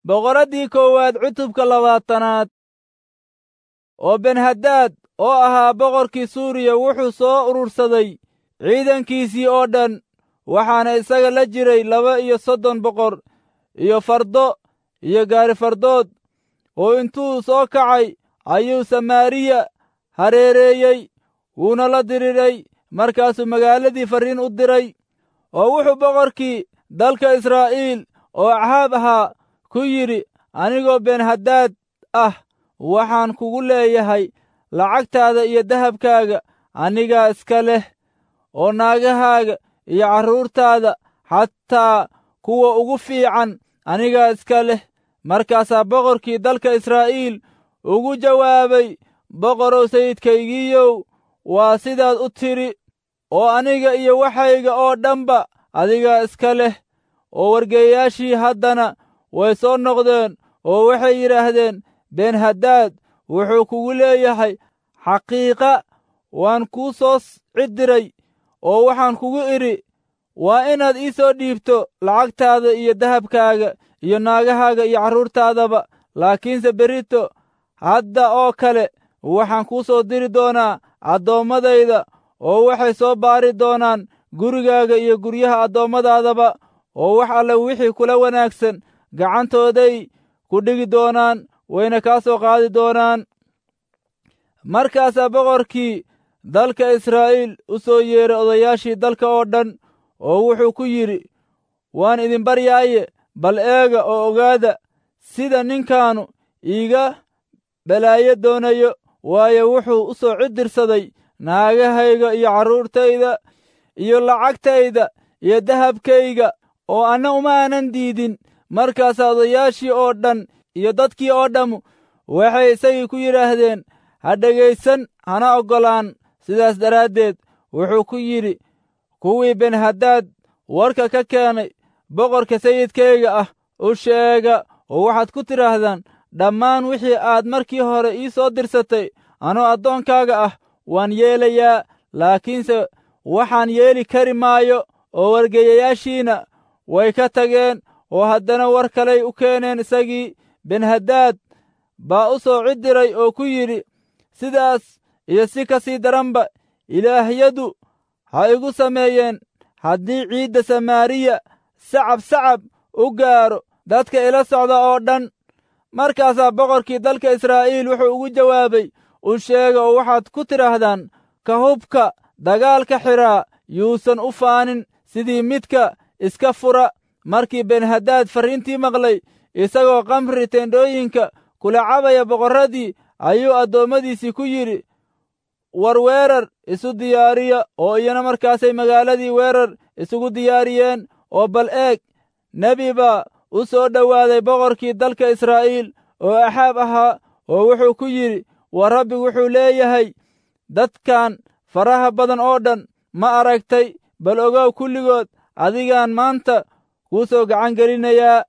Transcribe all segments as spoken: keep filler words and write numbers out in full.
Boqoraddii koowaad cutubka labaatanaad. Oo Benhadaad oo ahaa boqorkii Suuriya wuxuu soo urursaday ciidankiisii oo dhan, waxaana isaga la jiray laba iyo soddon boqor iyo fardo iyo gaari fardood. Oo intuu soo kacay ayuu Samaariya hareereeyey, wuuna la diriray. Markaasuu magaaladii farriin u diray, oo wuxuu boqorkii dalka Israa'iil oo Axaab ahaa ku yidhi, anigoo Benhadaad ah waxaan kugu leeyahay lacagtaada iyo dahabkaaga anigaa iska leh, oo naagahaaga iyo carruurtaada xataa kuwa ugu fiican anigaa iska leh. Markaasaa boqorkii dalka Israa'iil ugu jawaabay, boqorow sayidkaygiiyow, waa sidaad u tidhi, oo aniga iyo waxayga oo dhanba adigaa iska leh. Oo wargeeyayaashii haddana way soo noqdeen oo waxay yidhaahdeen, Benhadaad wuxuu kugu leeyahay, xaqiiqa waan kuu soo ciddiray, oo waxaan kugu idhi, waa inaad ii soo dhiibto lacagtaada iyo dahabkaaga iyo naagahaaga iyo carruurtaadaba. Laakiinse berrito hadda oo kale waxaan kuu soo diri doonaa addoommadayda, oo waxay soo baari doonaan gurigaaga iyo guryaha addoommadaadaba, oo wax alle wixii kula wanaagsan gacantooday ku dhigi doonaan, wayna kaa soo qaadi doonaan. Markaasaa boqorkii dalka Israa'iil u soo yeeray odayaashii dalka oo dhan, oo wuxuu ku yidhi, waan idin baryaaye, bal eega oo ogaada sida ninkaanu iiga balaayo doonayo, waayo wuxuu u soo ciddirsaday naagahayga iyo carruurtayda iyo lacagtayda iyo dahabkayga, oo anna uma aanan diidin. Markaasaa odayaashii oo dhan iyo dadkii oo dhammu waxay isagii ku yidhaahdeen, ha dhegaysan hana oggolaan. Sidaas daraaddeed wuxuu ku yidhi kuwii Benhadaad warka ka keenay, boqorka sayidkayga ah u sheega, oo waxaad ku tidhaahdaan, dhammaan wixii aad markii hore ii soo dirsatay anoo addoonkaaga ah waan yeelayaa, laakiinse waxaan yeeli kari maayo. Oo wargeeyayaashiina way ka tageen, oo haddana war kaley u keeneen isagii. Benhadaad baa u soo ciddiray oo ku yidhi, sidaas iyo si ka sii daranba ilaahyadu ha igu sameeyeen haddii ciidda Samaariya sacab sacab u gaaro dadka ila socda oo dhan. Markaasaa boqorkii dalka Israa'iil wuxuu ugu jawaabay, u sheega oo waxaad ku tidhaahdaan, ka hubka dagaalka xidhaa yuusan u faanin sidii midka iska fura. Markii Benhadaad farriintii maqlay, isagoo khamri teendhooyinka kula cabaya boqorradii, ayuu addoommadiisii ku yidhi, war weerar isu diyaariya. Oo iyana markaasay magaaladii weerar isugu diyaariyeen. Oo bal eeg, nebi baa u soo dhowaaday boqorkii dalka Israa'iil oo Axaab ahaa, oo wuxuu ku yidhi, war Rabbigu wuxuu leeyahay, dadkan faraha badan oo dhan ma aragtay? Bal ogow, kulligood adigaan maanta kuu soo gacan gelinayaa,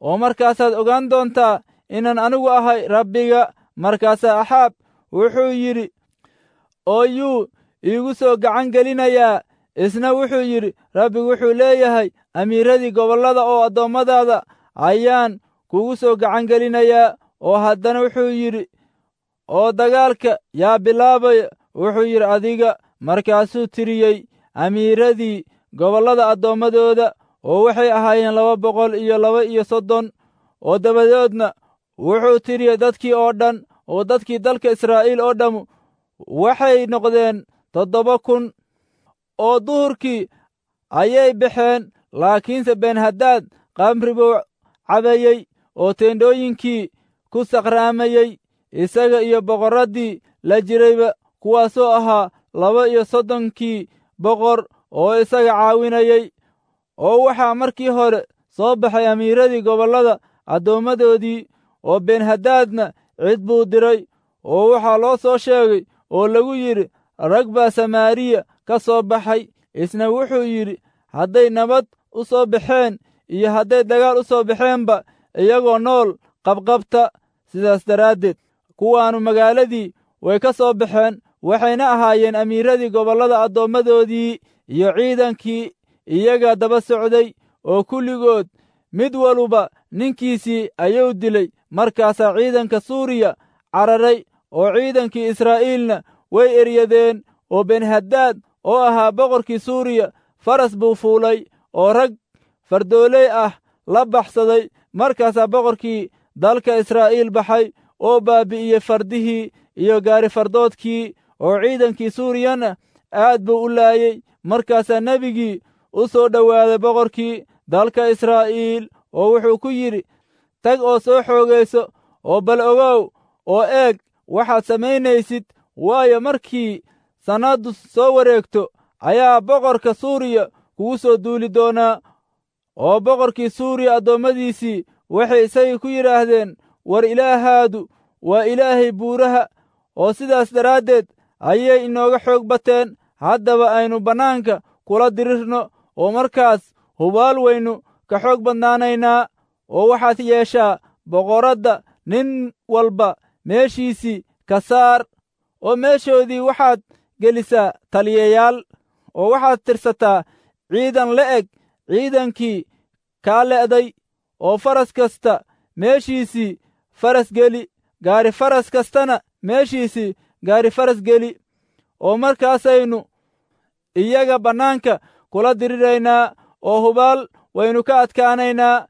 oo markaasaad ogaan doontaa inaan anigu ahay Rabbiga. Markaasaa Axaab wuxuu yidhi, oo yuu iigu soo gacan gelinayaa? Isna wuxuu yidhi, Rabbigu wuxuu leeyahay, amiiradii gobollada oo addoommadaada ayaan kugu soo gacan gelinayaa. Oo haddana wuxuu yidhi, oo dagaalka yaa bilaabaya? Wuxuu yidhi, adiga. Markaasuu tiriyey amiiradii gobollada addoommadooda, oo waxay ahaayeen laba boqol iyo laba iyo soddon. Oo dabadeedna wuxuu tiriyey dadkii oo dhan, oo dadkii dalka Israa'iil oo dhammu waxay noqdeen toddoba kun. Oo duhurkii ayay baxeen, laakiinse Benhadaad khamri buu cabayey oo teendhooyinkii ku sakraamayey, isaga iyo boqorraddii la jirayba, kuwaasoo ahaa laba iyo soddonkii boqor oo isaga caawinayey. Oo waxaa markii hore soo baxay amiiradii gobollada addoommadoodii, oo Benhadaadna cid buu diray, oo waxaa loo soo sheegay oo lagu yidhi, rag baa Samaariya ka soo baxay. Isna wuxuu yidhi, hadday nabad u soo baxeen iyo hadday dagaal u soo baxeenba, iyagoo nool qabqabta. Sidaas daraaddeed kuwaannu magaaladii way ka soo baxeen, waxayna ahaayeen amiiradii gobollada addoommadoodii iyo ciidankii iyaga daba socday, oo kulligood mid waluba ninkiisii ayuu dilay. Markaasaa ciidanka Suuriya cararay, oo ciidankii Israa'iilna way eryadeen. Oo Benhadaad oo ahaa boqorkii Suuriya faras buu fuulay oo rag fardooley ah la baxsaday. Markaasaa boqorkii dalka Israa'iil baxay oo baabi'iyey fardihii iyo gaarifardoodkii, oo ciidankii Suuriyana aad buu u laayey. Markaasaa nebigii u soo dhowaaday boqorkii dalka Israa'iil oo wuxuu ku yidhi, tag oo soo xoogayso, oo bal ogow oo eeg waxaad samaynaysid, waayo markii sannaddu soo wareegto ayaa boqorka Suuriya kugu soo duuli doonaa. Oo boqorkii Suuriya addoommadiisii waxay isagii ku yidhaahdeen, war Ilaahaadu waa Ilaahay buuraha, oo sidaas daraaddeed ayay inooga xoog bateen. Haddaba aynu bannaanka kula dirirno, oo markaas hubaal waynu ka xoog badnaanaynaa. Oo waxaad yeeshaa boqoradda nin walba meeshiisii ka saar, oo meeshoodii waxaad gelisaa taliyayaal, oo waxaad tirsataa ciidan la'eg ciidankii kaa le'day, oo faras kasta meeshiisii faras geli, gaari faras kastana meeshiisii gaari faras geli. Oo markaasaynu iyaga bannaanka kula diriraynaa, oo hubaal waynu ka adkaanaynaa.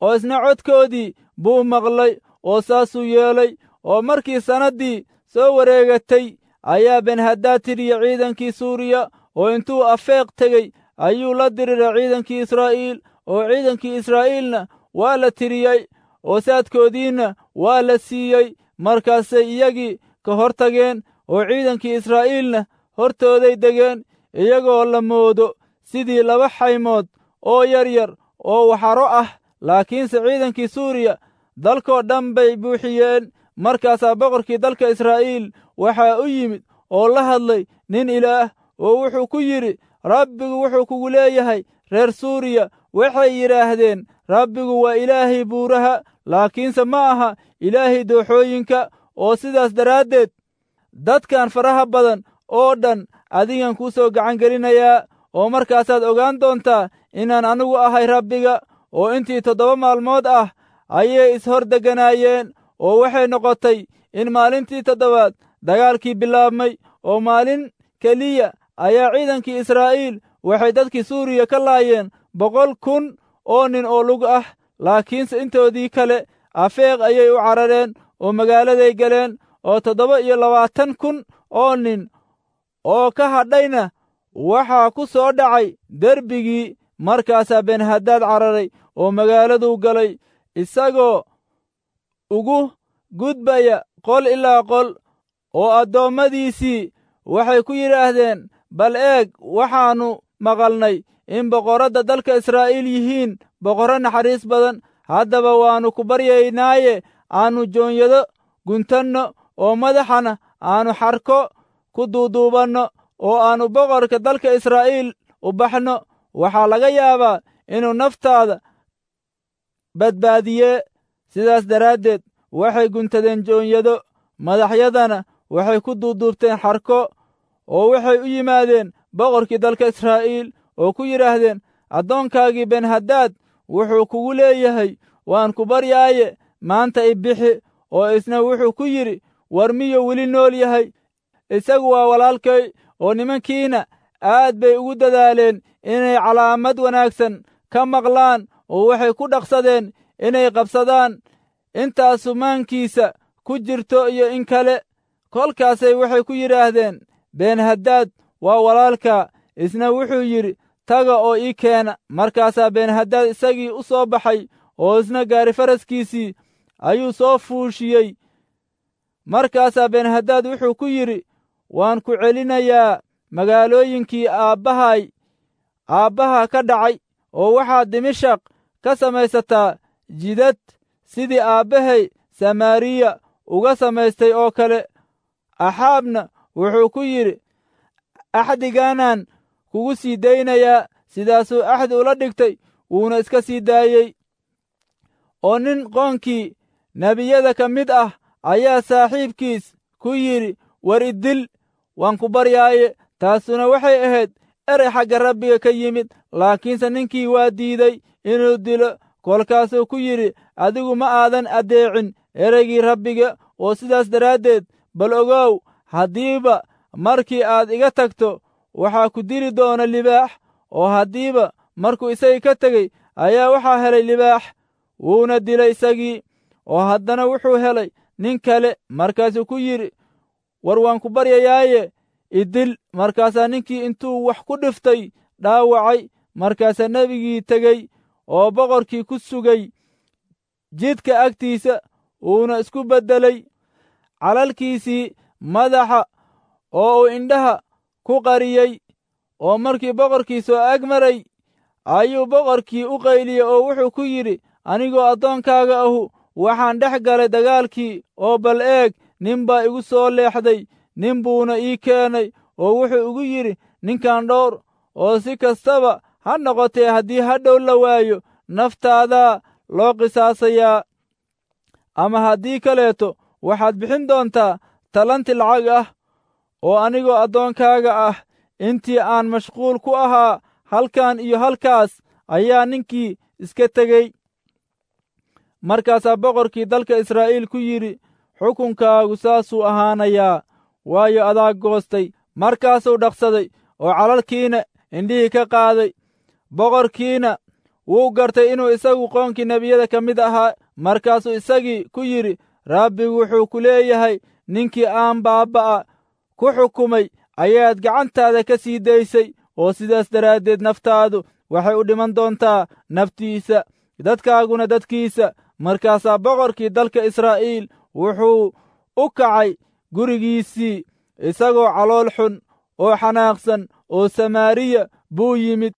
Oo isna codkoodii buu maqlay, oo saasuu yeelay. Oo markii sannaddii soo wareegatay ayaa Benhadaad tiriyey ciidankii Suuriya, oo intuu Afeeq tegey ayuu la diriray ciidankii Israa'iil, oo ciidankii Israa'iilna waa la tiriyey, oo saadkoodiinna waa la siiyey. Markaasay iyagii ka hor tageen, oo ciidankii Israa'iilna hortooday degeen, iyagoo la moodo sidii laba xaymood oo yar yar oo waxaro ah. Laakiinse ciidankii Suuriya dalkoo dhan bay buuxiyeen. Markaasaa boqorkii dalka Israa'iil waxaa u yimid oo la hadlay nin Ilaah, oo wuxuu ku yidhi, Rabbigu wuxuu kugu leeyahay, reer Suuriya waxay yidhaahdeen, Rabbigu waa Ilaahay buuraha, laakiinse ma aha Ilaahay dooxooyinka, oo sidaas daraaddeed dadkan faraha badan oo dhan adigan kuu soo gacan gelinayaa. Oo markaasaad ogaan doontaa inaan anigu ahay Rabbiga. Oo intii toddoba maalmood ah ayay ishor degganaayeen, oo waxay noqotay in maalintii toddobaad dagaalkii bilaabmay, oo maalin keliya ayaa ciidankii Israa'iil waxay dadkii Suuriya ka laayeen boqol kun oo nin oo lug ah. Laakiinse intoodii kale Afeeq ayay u carareen oo magaaladay galeen, oo toddoba iyo labaatan kun oo nin oo ka hadhayna waxaa ku soo dhacay derbigii. Markaasaa Benhadaad cararay oo magaaladuu galay, isagoo ugu gudbaya qol ilaa qol. Oo addoommadiisii waxay ku yidhaahdeen, bal eeg, waxaannu maqalnay in boqorradda dalka Israa'iil yihiin boqorro naxariis badan. Haddaba waannu ku baryaynaaye aannu joonyado guntanno, oo madaxana aannu xarko ku duuduubanno, oo aannu boqorka dalka Israa'iil u baxno. Waxaa laga yaabaa inuu naftaada badbaadiyee. Sidaas daraaddeed waxay guntadeen joonyado, madaxyadana waxay ku duuduubteen xarko, oo waxay u yimaadeen boqorkii dalka Israa'iil oo ku yidhaahdeen, addoonkaagii Benhadaad wuxuu kugu leeyahay, waan ku baryaaye, maanta i bixi. Oo isna wuxuu ku yidhi, war miyuu weli nool yahay? Isagu waa walaalkay. Oo nimankiina aad bay ugu dadaaleen inay calaamad wanaagsan ka maqlaan, oo waxay ku dhaqsadeen inay qabsadaan intaasu maankiisa ku jirto iyo in kale. Kolkaasay waxay ku yidhaahdeen, Benhadaad waa walaalkaa. Isna wuxuu yidhi, taga oo ii keena. Markaasaa Benhadaad isagii u soo baxay, oo isna gaari faraskiisii ayuu soo fuushiyey. Markaasaa Benhadaad wuxuu ku yidhi, waan ku celinayaa magaalooyinkii aabbahay aabbaha ka dhacay, oo waxaad Dimashaq ka samaysataa jidad sidii aabbahay Samaariya uga samaystay oo kale. Axaabna wuxuu ku yidhi, axdigaanaan kugu sii daynayaa. Sidaasuu axdi ula dhigtay, wuuna iska sii daayey. Oo nin qoonkii nebiyada ka mid ah ayaa saaxiibkiis ku yidhi, war idil, waan ku baryaaye. Taasuna waxay ahayd erey xagga Rabbiga ka yimid. Laakiinse ninkii waa diiday inuu dilo. Kolkaasuu ku yidhi, adigu ma aadan addeecin ereygii Rabbiga, oo sidaas daraaddeed bal ogow, haddiiba markii aad iga tagto waxaa ku dili doona libaax. Oo haddiiba markuu isagii ka tegey ayaa waxaa helay libaax, wuuna dilay isagii. Oo haddana wuxuu helay nin kale, markaasuu ku yidhi, war waan ku baryayaaye idil. Markaasaa ninkii intuu wax ku dhiftay dhaawacay. Markaasaa nebigii tegey oo boqorkii ku sugay jidka agtiisa, wuuna isku beddelay calalkiisii madaxa oo uu indhaha ku qariyey. Oo markii boqorkii soo ag maray ayuu boqorkii u qayliyey oo wuxuu ku yidhi, anigoo addoonkaaga ahu waxaan dhex galay dagaalkii, oo bal eeg, nin baa igu soo leexday, nin buuna ii keenay, oo wuxuu igu yidhi, ninkan dhowr, oo si kastaba ha noqotee haddii hadhow la waayo naftaadaa loo qisaasayaa, ama haddii kaleeto waxaad bixin doontaa talanti lacag ah. Oo anigoo addoonkaaga ah intii aan mashquul ku ahaa halkan iyo halkaas ayaa ninkii iska tegey. Markaasaa boqorkii dalka Israa'iil ku yidhi, xukunkaagu saasuu ahaanayaa, waayo adaa goostay. Markaasuu dhaqsaday oo calalkiina indhihii ka qaaday. Boqorkiina wuu gartay inuu isagu qoonkii nebiyada ka mid ahaa. Markaasuu isagii ku yidhi, Rabbigu wuxuu ku leeyahay, ninkii aan baabba'a ku xukumay ayaad gacantaada ka sii daysay, oo sidaas daraaddeed naftaadu waxay u dhiman doontaa naftiisa, dadkaaguna dadkiisa. Markaasaa boqorkii dalka Israa'iil wuxuu u kacay gurigiisii isagoo calool xun oo xanaaqsan, oo Samaariya buu yimid.